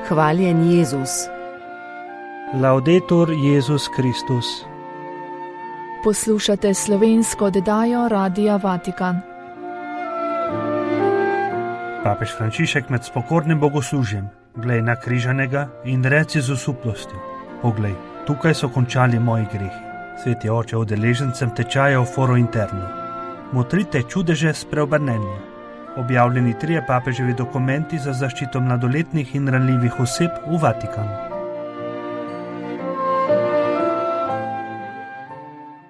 Hvaljen Jezus. Laudetur Jezus Kristus. Poslušate slovensko oddajo Radia Vatikan. Papež Frančišek med spokornim bogoslužjem glej na križanega in reci z osuplostjo: Poglej, tukaj so končali moji grehi. Sveti oče udeležencem tečaja v Foro Interno. Motrite čudeže spreobrnenja. Objavljeni 3 papeževi dokumenti za zaščito mladoletnih in ranljivih oseb v Vatikanu.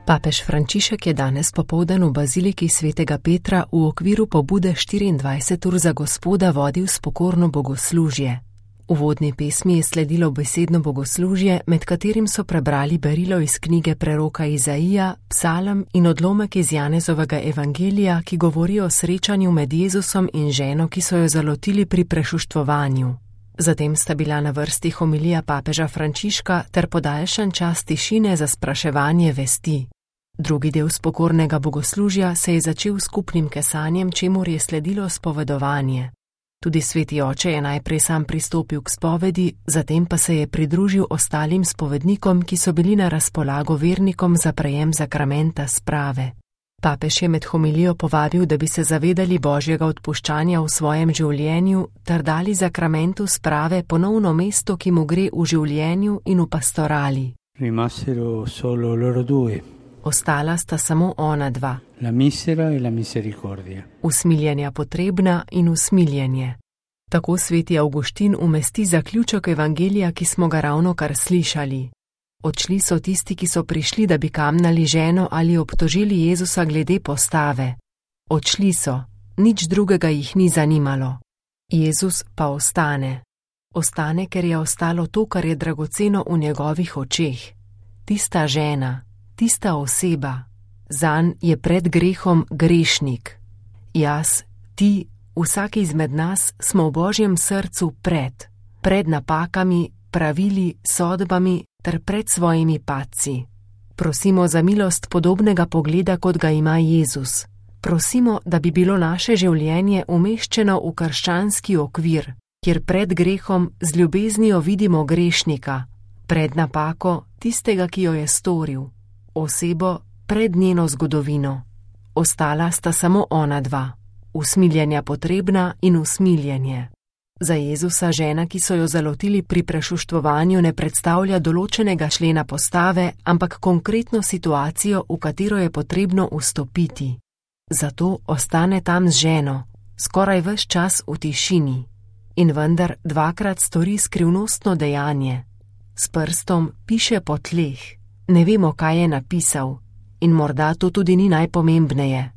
Papež Frančišek je danes popoldan v baziliki svetega Petra v okviru pobude 24 ur za Gospoda vodil spokorno bogoslužje. Uvodni pesmi je sledilo besedno bogoslužje, med katerim so prebrali berilo iz knjige preroka Izaija, psalm in odlomek iz Janezovega evangelija, ki govori o srečanju med Jezusom in ženo, ki so jo zalotili pri prešuštvovanju. Zatem sta bila na vrsti homilija papeža Frančiška ter podaljšan čas tišine za spraševanje vesti. Drugi del spokornega bogoslužja se je začel s skupnim kesanjem, čemur je sledilo spovedovanje. Tudi sveti oče je najprej sam pristopil k spovedi, zatem pa se je pridružil ostalim spovednikom, ki so bili na razpolago vernikom za prejem zakramenta sprave. Papež je med homilijo povabil, da bi se zavedali Božjega odpuščanja v svojem življenju ter dali zakramentu sprave ponovno mesto, ki mu gre v življenju in v pastorali. Rimasero solo loro due. Ostala sta samo ona dva. La misera e la misericordia. Usmiljenja potrebna in usmiljenje. Tako sveti Avguštin umesti zaključek evangelija, ki smo ga ravnokar slišali. Odšli so tisti, ki so prišli, da bi kamnali ženo ali obtožili Jezusa glede postave. Odšli so, nič drugega jih ni zanimalo. Jezus pa ostane. Ostane, ker je ostalo to, kar je dragoceno v njegovih očeh. Tista žena, tista oseba, zanj je pred grehom grešnik. Jaz, ti, vsak izmed nas smo v Božjem srcu pred napakami, pravili, sodbami ter pred svojimi padci. Prosimo za milost podobnega pogleda, kot ga ima Jezus. Prosimo, da bi bilo naše življenje umeščeno v krščanski okvir, kjer pred grehom z ljubeznijo vidimo grešnika, pred napako tistega, ki jo je storil, osebo pred njeno zgodovino. Ostala sta samo ona dva, usmiljenja potrebna in usmiljenje. Za Jezusa žena, ki so jo zalotili pri prešuštvovanju, ne predstavlja določenega člena postave, ampak konkretno situacijo, v katero je potrebno vstopiti. Zato ostane tam z ženo, skoraj ves čas v tišini. In vendar dvakrat stori skrivnostno dejanje. S prstom piše po tleh. Ne vemo, kaj je napisal, in morda to tudi ni najpomembneje.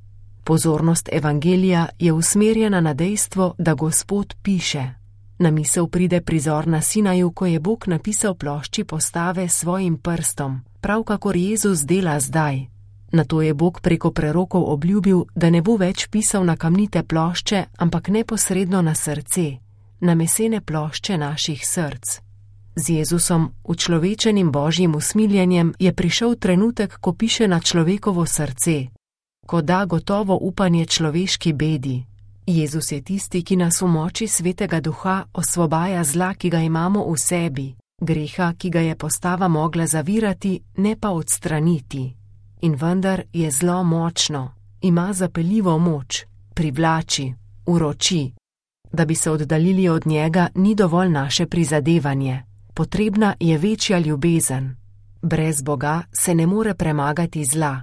Pozornost evangelija je usmerjena na dejstvo, da Gospod piše. Na misel pride prizor na Sinaju, ko je Bog napisal plošči postave s svojim prstom, prav kakor Jezus dela zdaj. Nato je Bog preko prerokov obljubil, da ne bo več pisal na kamnite plošče, ampak neposredno na srce, na mesene plošče naših src. Z Jezusom, učlovečenim Božjim usmiljenjem, je prišel trenutek, ko piše na človekovo srce, ko da gotovo upanje človeški bedi. Jezus je tisti, ki nas v moči Svetega Duha osvobaja zla, ki ga imamo v sebi, greha, ki ga je postava mogla zavirati, ne pa odstraniti. In vendar je zlo močno, ima zapeljivo moč, privlači, uroči. Da bi se oddaljili od njega, ni dovolj naše prizadevanje. Potrebna je večja ljubezen. Brez Boga se ne more premagati zla.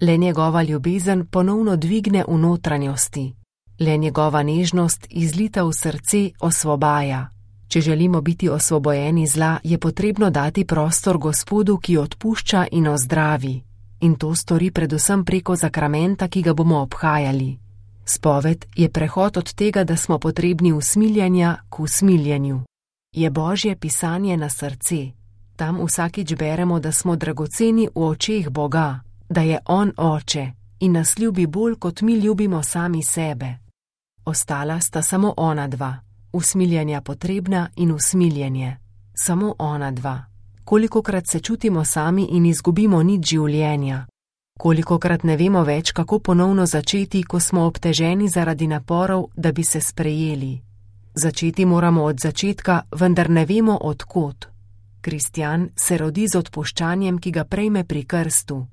Le njegova ljubezen ponovno dvigne v notranjosti. Le njegova nežnost, izlita v srce, osvobaja. Če želimo biti osvobojeni zla, je potrebno dati prostor Gospodu, ki odpušča in ozdravi. In to stori predvsem preko zakramenta, ki ga bomo obhajali. Spoved je prehod od tega, da smo potrebni usmiljenja k usmiljenju. Je Božje pisanje na srce. Tam vsakič beremo, da smo dragoceni v očeh Boga, da je On Oče in nas ljubi bolj, kot mi ljubimo sami sebe. Ostala sta samo ona dva, usmiljenja potrebna in usmiljenje. Samo ona dva. Kolikokrat se čutimo sami in izgubimo nit življenja. Kolikokrat ne vemo več, kako ponovno začeti, ko smo obteženi zaradi naporov, da bi se sprejeli. Začeti moramo od začetka, vendar ne vemo od kod. Kristjan se rodi z odpuščanjem, ki ga prejme pri krstu.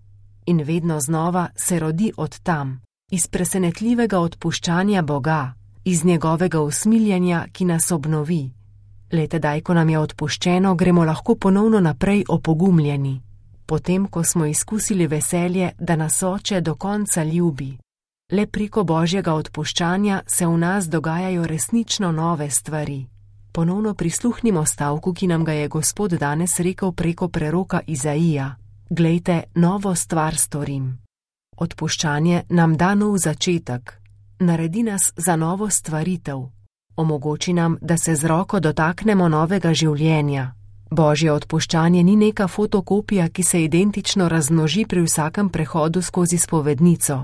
In vedno znova se rodi od tam, iz presenetljivega odpuščanja Boga, iz njegovega usmiljenja, ki nas obnovi. Le tedaj, ko nam je odpuščeno, gremo lahko ponovno naprej opogumljeni. Potem, ko smo izkusili veselje, da nas Oče do konca ljubi. Le preko Božjega odpuščanja se v nas dogajajo resnično nove stvari. Ponovno prisluhnimo stavku, ki nam ga je Gospod danes rekel preko preroka Izaija. Glejte, novo stvar storim. Odpuščanje nam da nov začetek, naredi nas za novo stvaritev. Omogoči nam, da se z roko dotaknemo novega življenja. Božje odpuščanje ni neka fotokopija, ki se identično razmnoži pri vsakem prehodu skozi spovednico.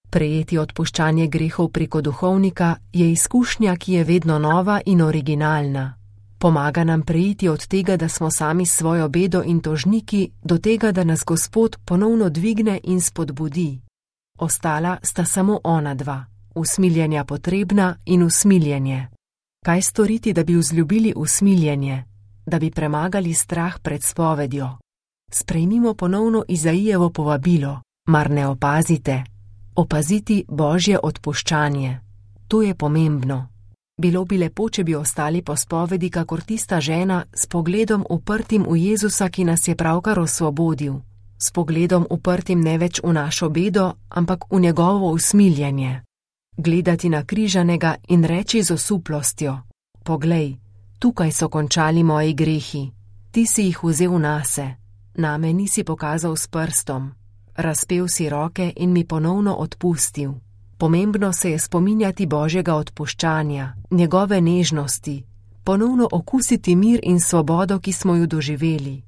Prejeti odpuščanje grehov preko duhovnika je izkušnja, ki je vedno nova in originalna. Pomaga nam preiti od tega, da smo sami s svojo bedo in tožniki, do tega, da nas Gospod ponovno dvigne in spodbudi. Ostala sta samo ona dva, usmiljenja potrebna in usmiljenje. Kaj storiti, da bi vzljubili usmiljenje, da bi premagali strah pred spovedjo? Sprejmimo ponovno Izaijevo povabilo, mar ne opazite? Opaziti Božje odpuščanje. To je pomembno. Bilo bi lepo, če bi ostali po spovedi kakor tista žena s pogledom uprtim v Jezusa, ki nas je pravkar osvobodil. S pogledom uprtim ne več v našo bedo, ampak v njegovo usmiljenje. Gledati na križanega in reči z osuplostjo: Poglej, tukaj so končali moji grehi. Ti si jih vzel nase. Name nisi pokazal s prstom. Razpel si roke in mi ponovno odpustil. Pomembno se je spominjati Božjega odpuščanja, njegove nežnosti, ponovno okusiti mir in svobodo, ki smo jo doživeli.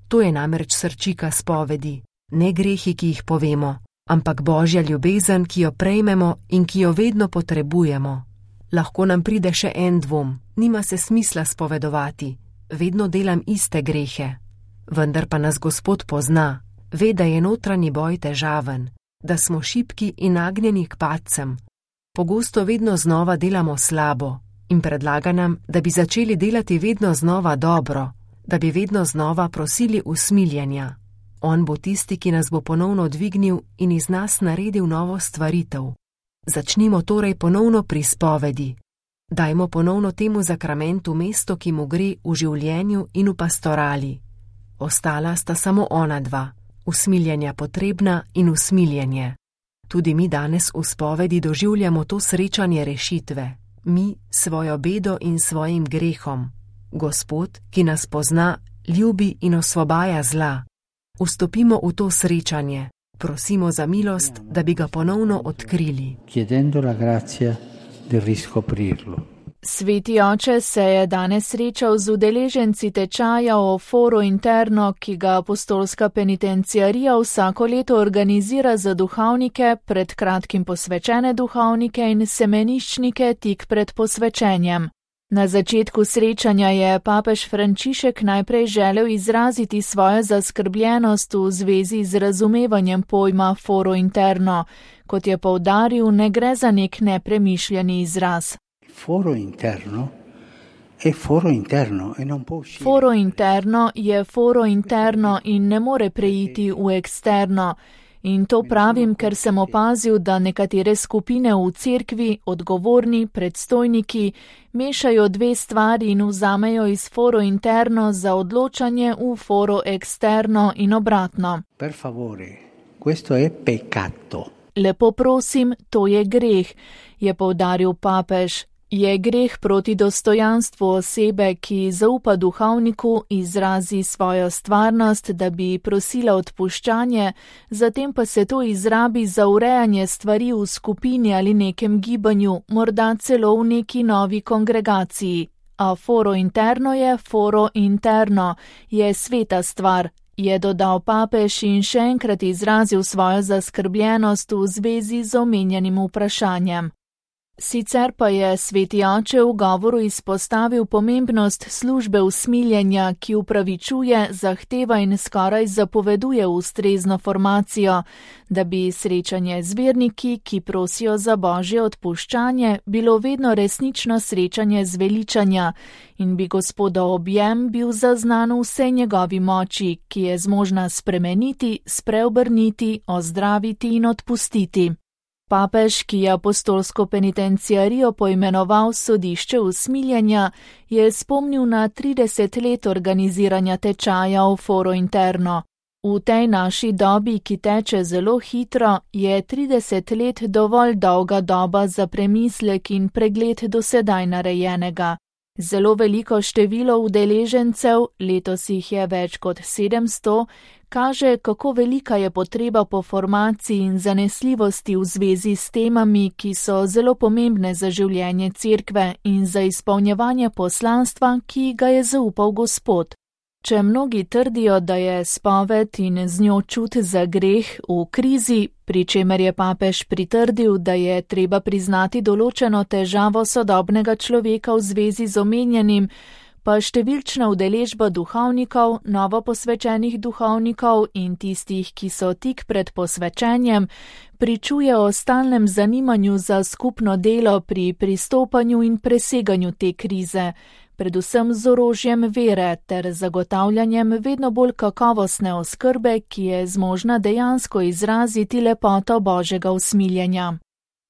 To je namreč srčika spovedi, ne grehi, ki jih povemo, ampak Božja ljubezen, ki jo prejmemo in ki jo vedno potrebujemo. Lahko nam pride še en dvom, nima se smisla spovedovati, vedno delam iste grehe. Vendar pa nas Gospod pozna, ve, da je notranji boj težaven, da smo šibki in nagnjeni k padcem. Pogosto vedno znova delamo slabo in predlaga nam, da bi začeli delati vedno znova dobro, da bi vedno znova prosili usmiljenja. On bo tisti, ki nas bo ponovno dvignil in iz nas naredil novo stvaritev. Začnimo torej ponovno pri spovedi. Dajmo ponovno temu zakramentu mesto, ki mu gre v življenju in v pastorali. Ostala sta samo ona dva. Usmiljenja potrebna in usmiljenje. Tudi mi danes v spovedi doživljamo to srečanje rešitve. Mi svojo bedo in svojim grehom. Gospod, ki nas pozna, ljubi in osvobaja zla. Vstopimo v to srečanje. Prosimo za milost, da bi ga ponovno odkrili. Chiedendo la grazia di riscoprirlo. Sveti oče se je danes srečal z udeleženci tečaja o Foro Interno, ki ga apostolska penitenciarija vsako leto organizira za duhovnike, pred kratkim posvečene duhovnike in semeniščnike tik pred posvečenjem. Na začetku srečanja je papež Frančišek najprej želel izraziti svojo zaskrbljenost v zvezi z razumevanjem pojma Foro Interno. Kot je poudaril, ne gre za nek nepremišljeni izraz. Foro interno è foro interno e non può uscire. Foro interno je foro interno in ne more preiti v eksterno. In to pravim, ker sem opazil, da nekatere skupine v cerkvi, odgovorni, predstojniki, mešajo dve stvari in vzamejo iz foro interno za odločanje v foro eksterno in obratno. Per favore, questo è peccato. Lepo prosim, to je greh, je poudaril papež. Je greh proti dostojanstvu osebe, ki zaupa duhovniku, izrazi svojo stvarnost, da bi prosila odpuščanje, zatem pa se to izrabi za urejanje stvari v skupini ali nekem gibanju, morda celo v neki novi kongregaciji. A foro interno je foro interno, je sveta stvar, je dodal papež in še enkrat izrazil svojo zaskrbljenost v zvezi z omenjenim vprašanjem. Sicer pa je sveti oče v govoru izpostavil pomembnost službe usmiljenja, ki upravičuje, zahteva in skoraj zapoveduje ustrezno formacijo, da bi srečanje z verniki, ki prosijo za božje odpuščanje, bilo vedno resnično srečanje zveličanja in bi Gospodov objem bil zaznan v vsej njegovi moči, ki je zmožna spremeniti, spreobrniti, ozdraviti in odpustiti. Papež, ki je apostolsko penitenciarijo poimenoval sodišče usmiljenja, je spomnil na 30 let organiziranja tečaja v Foro Interno. V tej naši dobi, ki teče zelo hitro, je 30 let dovolj dolga doba za premislek in pregled do sedaj narejenega. Zelo veliko število udeležencev, letos jih je več kot 700, kaže, kako velika je potreba po formaciji in zanesljivosti v zvezi s temami, ki so zelo pomembne za življenje cerkve in za izpolnjevanje poslanstva, ki ga je zaupal Gospod. Če mnogi trdijo, da je spoved in z njo čut za greh v krizi, pri čemer je papež pritrdil, da je treba priznati določeno težavo sodobnega človeka v zvezi z omenjenim, pa številčna udeležba duhovnikov, novo posvečenih duhovnikov in tistih, ki so tik pred posvečenjem, pričuje o stalnem zanimanju za skupno delo pri pristopanju in preseganju te krize, predvsem z orožjem vere ter zagotavljanjem vedno bolj kakovostne oskrbe, ki je zmožna dejansko izraziti lepoto Božjega usmiljenja.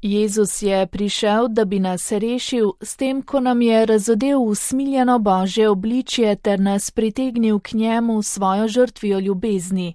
Jezus je prišel, da bi nas rešil, s tem, ko nam je razodel usmiljeno Božje obličje ter nas pritegnil k njemu svojo žrtvijo ljubezni.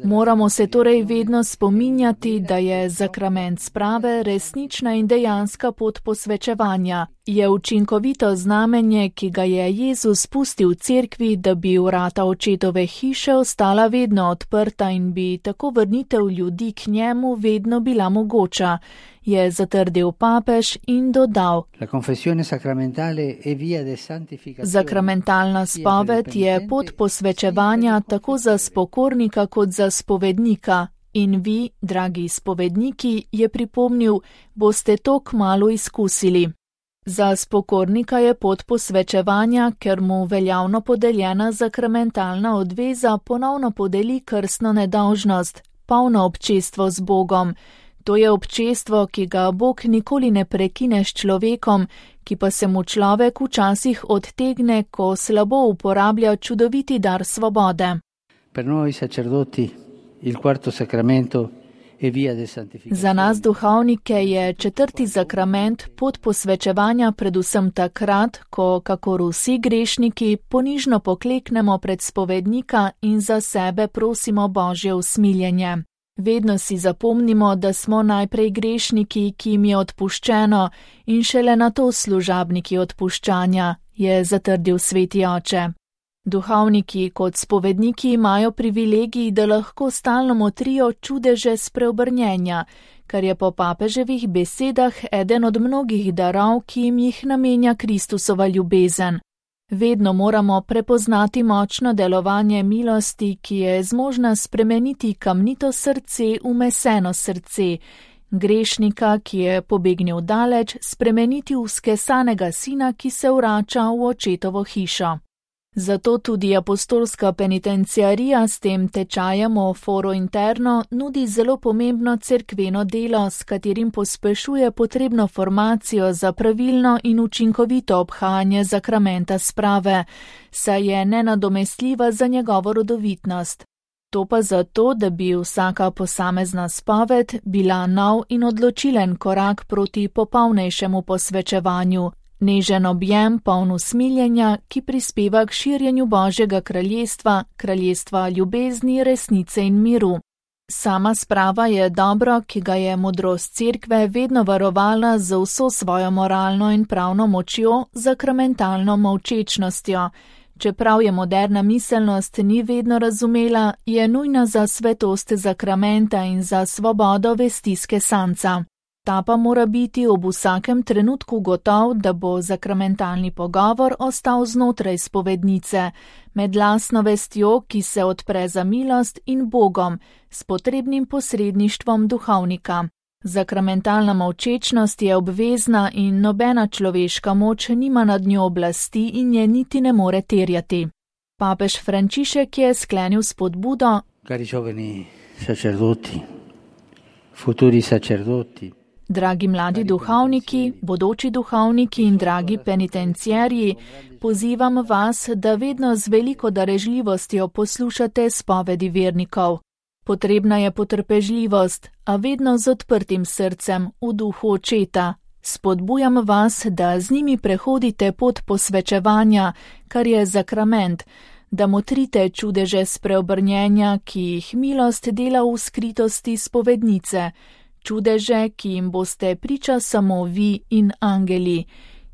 Moramo se torej vedno spominjati, da je sakrament sprave resnična in dejanska pot posvečevanja. Je učinkovito znamenje, ki ga je Jezus pustil v cerkvi, da bi vrata očetove hiše ostala vedno odprta in bi tako vrnitev ljudi k njemu vedno bila mogoča, je zatrdil papež in dodal: Sakramentalna spoved je pot posvečevanja tako za spokornika kot za spovednika. In vi, dragi spovedniki, je pripomnil, boste to kmalu izkusili. Za spokornika je pot posvečevanja, ker mu veljavno podeljena sakramentalna odveza ponovno podeli krstno nedolžnost, polno občestvo z Bogom. To je občestvo, ki ga Bog nikoli ne prekine s človekom, ki pa se mu človek včasih odtegne, ko slabo uporablja čudoviti dar svobode. Za nas duhovnike je četrti sakrament pot posvečevanja predvsem takrat, ko, kakor vsi grešniki, ponižno pokleknemo pred spovednika in za sebe prosimo Božje usmiljenje. Vedno si zapomnimo, da smo najprej grešniki, ki jim je odpuščeno, in šele nato služabniki odpuščanja, je zatrdil sveti oče. Duhovniki kot spovedniki imajo privilegij, da lahko stalno motrijo čudeže spreobrnjenja, kar je po papeževih besedah eden od mnogih darov, ki jim jih namenja Kristusova ljubezen. Vedno moramo prepoznati močno delovanje milosti, ki je zmožna spremeniti kamnito srce v meseno srce, grešnika, ki je pobegnil daleč, spremeniti v skesanega sina, ki se vrača v očetovo hišo. Zato tudi apostolska penitenciarija s tem tečajem o Foro Interno nudi zelo pomembno cerkveno delo, s katerim pospešuje potrebno formacijo za pravilno in učinkovito obhajanje sakramenta sprave, saj je nenadomestljiva za njegovo rodovitnost. To pa zato, da bi vsaka posamezna spoved bila nov in odločilen korak proti popolnejšemu posvečevanju, nežen objem poln usmiljenja, ki prispeva k širjenju Božjega kraljestva, kraljestva ljubezni, resnice in miru. Sama sprava je dobro, ki ga je modrost cerkve vedno varovala z vso svojo moralno in pravno močjo, sakramentalno molčečnostjo. Čeprav je moderna miselnost ni vedno razumela, je nujna za svetost sakramenta in za svobodo vesti skesanca. Ta pa mora biti ob vsakem trenutku gotov, da bo zakramentalni pogovor ostal znotraj spovednice, med lastno vestjo, ki se odpre za milost, in Bogom, s potrebnim posredništvom duhovnika. Zakramentalna molčečnost je obvezna in nobena človeška moč nima nad njo oblasti in je niti ne more terjati. Papež Frančišek je sklenil spodbudo: Cari giovani sacerdoti, futuri sacerdoti. Dragi mladi duhovniki, bodoči duhovniki in dragi penitenciarji, pozivam vas, da vedno z veliko darežljivostjo poslušate spovedi vernikov. Potrebna je potrpežljivost, a vedno z odprtim srcem v duhu očeta. Spodbujam vas, da z njimi prehodite pot posvečevanja, kar je zakrament, da motrite čudeže spreobrnjenja, ki jih milost dela v skritosti spovednice, čudeže, ki jim boste priča samo vi in angeli,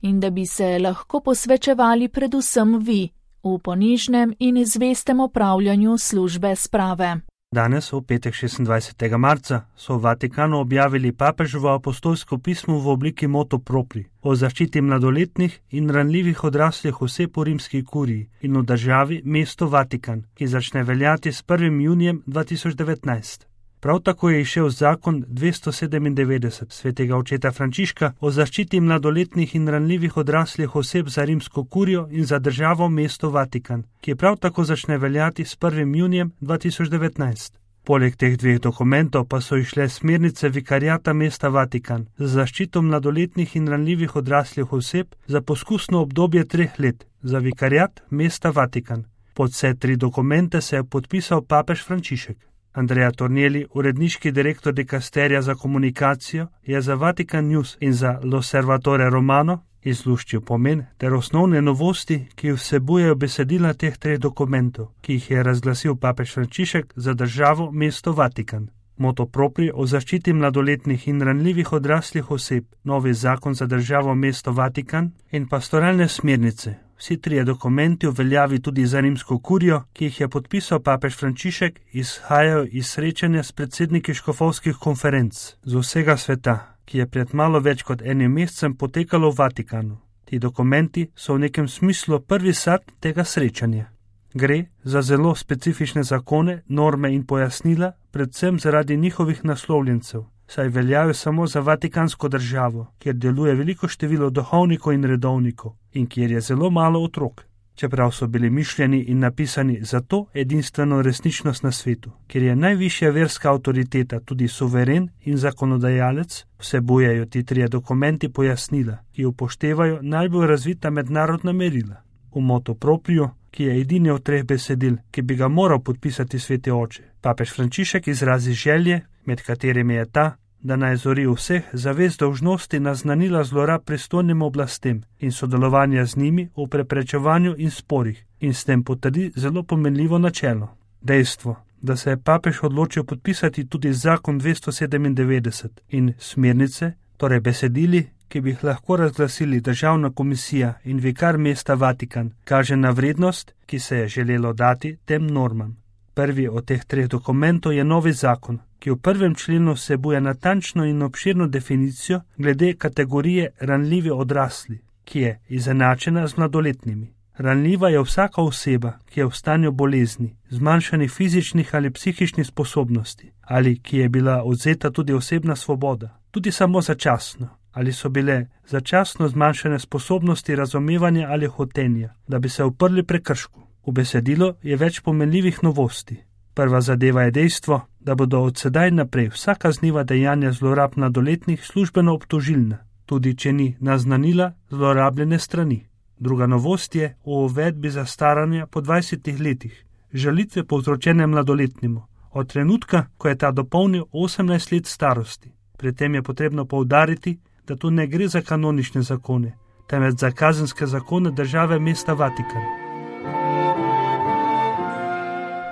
in da bi se lahko posvečevali predvsem vi, v ponižnem in zvestem opravljanju službe sprave. Danes, v petek 26. marca, so v Vatikanu objavili papeževo apostolsko pismo v obliki motu propri o zaščiti mladoletnih in ranljivih odraslih oseb v rimski kuriji in v državi mesto Vatikan, ki začne veljati s 1. junijem 2019. Prav tako je izšel zakon 297 svetega očeta Frančiška o zaščiti mladoletnih in ranljivih odraslih oseb za rimsko kurijo in za državo mesto Vatikan, ki prav tako začne veljati s 1. junijem 2019. Poleg teh dveh dokumentov pa so išle smernice vikariata mesta Vatikan za zaščito mladoletnih in ranljivih odraslih oseb za poskusno obdobje 3 let za vikariat mesta Vatikan. Pod vse 3 dokumente se je podpisal papež Frančišek. Andrea Tornielli, uredniški direktor dikasterija za komunikacijo, je za Vatikan News in za L'Osservatore Romano izluščil pomen ter osnovne novosti, ki vsebujejo besedila teh 3 dokumentov, ki jih je razglasil papež Frančišek za državo mesto Vatikan. Moto propri o zaščiti mladoletnih in ranljivih odraslih oseb, novi zakon za državo mesto Vatikan in pastoralne smernice. Vsi 3 dokumenti v veljavi tudi za rimsko kurijo, ki jih je podpisal papež Frančišek, izhajajo iz srečanja s predsedniki škofovskih konferenc z vsega sveta, ki je pred malo več kot 1 mesecem potekalo v Vatikanu. Ti dokumenti so v nekem smislu prvi sad tega srečanja. Gre za zelo specifične zakone, norme in pojasnila, predvsem zaradi njihovih naslovljencev, saj veljajo samo za vatikansko državo, kjer deluje veliko število duhovnikov in redovnikov in kjer je zelo malo otrok, čeprav so bili mišljeni in napisani za to edinstveno resničnost na svetu, kjer je najvišja verska avtoriteta tudi suveren in zakonodajalec, vsebujejo ti 3 dokumenti pojasnila, ki upoštevajo najbolj razvita mednarodna merila. V motu propriu, ki je edini od 3 besedil, ki bi ga moral podpisati sveti oče, papež Frančišek izrazi želje, med katerimi je ta, da naj zori vseh zavest dolžnosti naznanila zlorab pristojnim oblastem in sodelovanja z njimi v preprečevanju in sporih in s tem potrdi zelo pomenljivo načelo. Dejstvo, da se je papež odločil podpisati tudi zakon 297 in smernice, torej besedili, ki bi jih lahko razglasili državna komisija in vikar mesta Vatikan, kaže na vrednost, ki se je želelo dati tem normam. Prvi od teh 3 dokumentov je novi zakon, ki v 1. členu vsebuje natančno in obširno definicijo glede kategorije ranljivi odrasli, ki je izenačena z mladoletnimi. Ranljiva je vsaka oseba, ki je v stanju bolezni, zmanjšanih fizičnih ali psihičnih sposobnosti, ali ki je bila odvzeta tudi osebna svoboda, tudi samo začasno, ali so bile začasno zmanjšane sposobnosti razumevanja ali hotenja, da bi se uprli prekršku. V besedilu je več pomenljivih novosti. Prva zadeva je dejstvo, da bodo od sedaj naprej vsa kazniva dejanja zlorab mladoletnih službeno obtožilna, tudi če ni naznanila zlorabljene strani. Druga novost je v uvedbi zastaranja po 20 letih, žalitve povzročene mladoletnemu, od trenutka, ko je ta dopolnil 18 let starosti. Pri tem je potrebno poudariti, da tu ne gre za kanonične zakone, temveč za kazenske zakone države mesta Vatikan.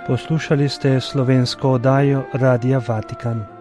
Poslušali ste slovensko oddajo Radia Vatikan.